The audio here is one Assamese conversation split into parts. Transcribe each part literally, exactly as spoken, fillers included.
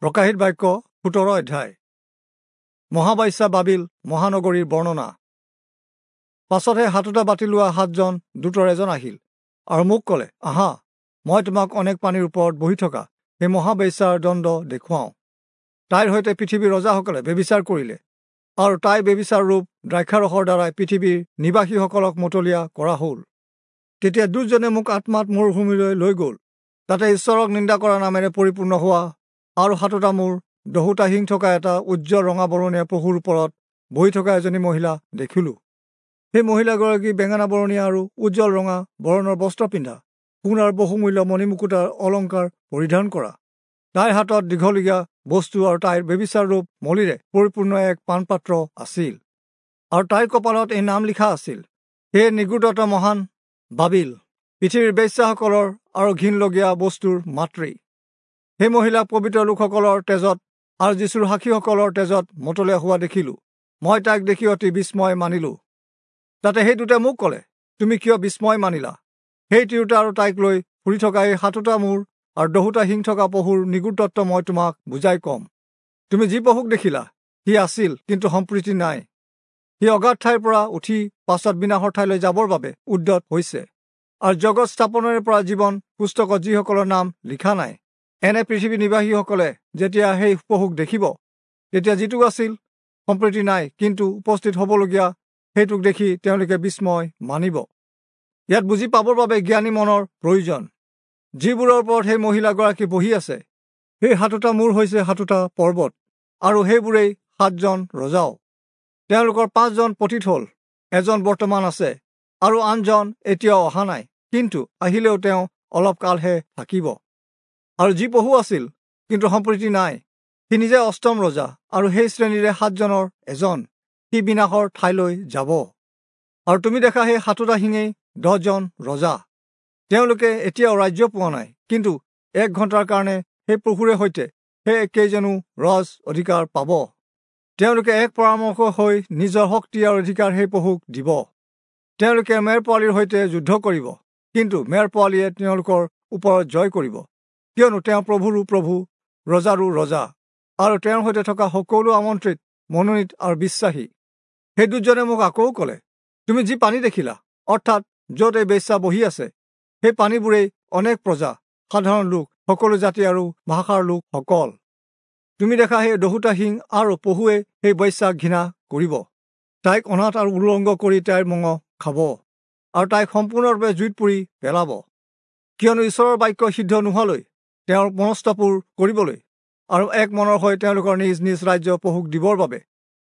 প্ৰকাশিত বাক্য সোতৰ অধ্যায়। মহাবাইচা বাবিল মহানগৰীৰ বৰ্ণনা। পাছতহে সাতোটা বাতি লোৱা সাতজন দূতৰ এজন আহিল আৰু মোক ক'লে, আহা, মই তোমাক অনেক পানীৰ ওপৰত বহি থকা সেই মহাবেশ্যাৰ দণ্ড দেখুৱাওঁ। তাইৰ সৈতে পৃথিৱীৰ ৰজাসকলে ব্যভিচাৰ কৰিলে আৰু তাই ব্যভিচাৰ ৰূপ দ্ৰাক্ষাৰসৰ দ্বাৰাই পৃথিৱীৰ নিবাসীসকলক মতলীয়া কৰা হ'ল। তেতিয়া দুজনে মোক আত্মাত মৰুভূমিলৈ লৈ গ'ল। তাতে ঈশ্বৰক নিন্দা কৰা নামেৰে পৰিপূৰ্ণ হোৱা আৰু সাতোটা মূৰ দহোটা শিং থকা এটা উজ্জ্বল ৰঙা বৰণীয়া পশুৰ ওপৰত বহি থকা এজনী মহিলা দেখিলোঁ। সেই মহিলাগৰাকী বেঙেনা বৰণীয়া আৰু উজ্জ্বল ৰঙা বৰণৰ বস্ত্ৰ পিন্ধা, সোণ আৰু বহুমূল্য মণিমুকুতাৰ অলংকাৰ পৰিধান কৰা। তাইৰ হাতত দীঘলীয়া বস্তু আৰু তাইৰ ব্যভিচাৰ ৰূপ মলিৰে পৰিপূৰ্ণ এক পানপাত্ৰ আছিল আৰু তাইৰ কপালত এই নাম লিখা আছিল, হে নিগুড়ত মহান বাবিল, পৃথিৱীৰ বেশ্যাসকলৰ আৰু ঘিণলগীয়া বস্তুৰ মাতৃ। সেই মহিলাক পবিত্ৰ লোকসকলৰ তেজত আৰু যীশুৰ সাক্ষীসকলৰ তেজত মতলীয়া হোৱা দেখিলোঁ। মই তাইক দেখি অতি বিস্ময় মানিলোঁ। তাতে সেই দুটাই মোক ক'লে, তুমি কিয় বিস্ময় মানিলা? সেই তিৰোতা আৰু তাইক লৈ ফুৰি থকা এই সাতোটা মূৰ আৰু দহোটা শিং থকা পশুৰ নিগুড় তত্ত্ব মই তোমাক বুজাই ক'ম। তুমি যি পশুক দেখিলা, সি আছিল, কিন্তু সম্প্ৰীতি নাই। সি অগাধ ঠাইৰ পৰা উঠি পাছত বিনাশৰ ঠাইলৈ যাবৰ বাবে উদ্যত হৈছে। আৰু জগত স্থাপনৰে পৰা জীৱন পুস্তকত যিসকলৰ নাম লিখা নাই, এনে পৃথিৱী নিবাসীসকলে যেতিয়া সেই পশুক দেখিব, তেতিয়া যিটো আছিল সম্প্ৰীতি নাই, কিন্তু উপস্থিত হ'বলগীয়া সেইটোক দেখি তেওঁলোকে বিস্ময় মানিব। ইয়াত বুজি পাবৰ বাবে জ্ঞানী মনৰ প্ৰয়োজন। যিবোৰৰ ওপৰত সেই মহিলাগৰাকী বহি আছে, সেই সাতোটা মূৰ হৈছে সাতোটা পৰ্বত আৰু সেইবোৰেই সাতজন ৰজাও। তেওঁলোকৰ পাঁচজন পতিত হ'ল, এজন বৰ্তমান আছে আৰু আনজন এতিয়াও অহা নাই, কিন্তু আহিলেও তেওঁ অলপ কালহে থাকিব। আৰু যি পশু আছিল কিন্তু সম্প্ৰীতি নাই, সি নিজে অষ্টম ৰজা আৰু সেই শ্ৰেণীৰে সাতজনৰ এজন, সি বিনাশৰ ঠাইলৈ যাব। আৰু তুমি দেখা সেই সাতোটা শিঙেই দহজন ৰজা। তেওঁলোকে এতিয়াও ৰাজ্য পোৱা নাই, কিন্তু এক ঘণ্টাৰ কাৰণে সেই পশুৰে সৈতে সেই কেইজনো ৰজ অধিকাৰ পাব। তেওঁলোকে এক পৰামৰ্শ হৈ নিজৰ শক্তি আৰু অধিকাৰ সেই পশুক দিব। তেওঁলোকে মেৰ পোৱালীৰ সৈতে যুদ্ধ কৰিব, কিন্তু মেৰ পোৱালীয়ে তেওঁলোকৰ ওপৰত জয় কৰিব, কিয়নো তেওঁ প্ৰভুৰো প্ৰভু, ৰজাৰো ৰজা, আৰু তেওঁৰ সৈতে থকা সকলো আমন্ত্ৰিত, মনোনীত আৰু বিশ্বাসী। সেই দুজনে মোক আকৌ ক'লে, তুমি যি পানী দেখিলা, অৰ্থাৎ য'ত এই বেশ্যা বহি আছে, সেই পানীবোৰেই অনেক প্ৰজা, সাধাৰণ লোক, সকলো জাতি আৰু ভাষাৰ লোকসকল। তুমি দেখা সেই দহোটা শিং আৰু পহুৱে সেই বেশ্যাক ঘৃণা কৰিব। তাইক অনাথ আৰু উলংগ কৰি তাইৰ মঙহ খাব আৰু তাইক সম্পূৰ্ণৰূপে জুইত পুৰি পেলাব। কিয়নো ঈশ্বৰৰ বাক্য সিদ্ধ নোহোৱালৈ তেওঁৰ মনস্তাপূৰ কৰিবলৈ আৰু এক মনৰ হৈ তেওঁলোকৰ নিজ নিজ ৰাজ্য পশুক দিবৰ বাবে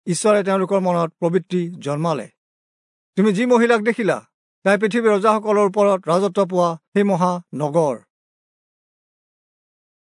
ঈশ্বৰে তেওঁলোকৰ মনত প্ৰবৃত্তি জন্মালে। তুমি যি মহিলাক দেখিলা, তাই পৃথিৱীৰ ৰজাসকলৰ ওপৰত ৰাজত্ব পোৱা সেই মহানগৰ।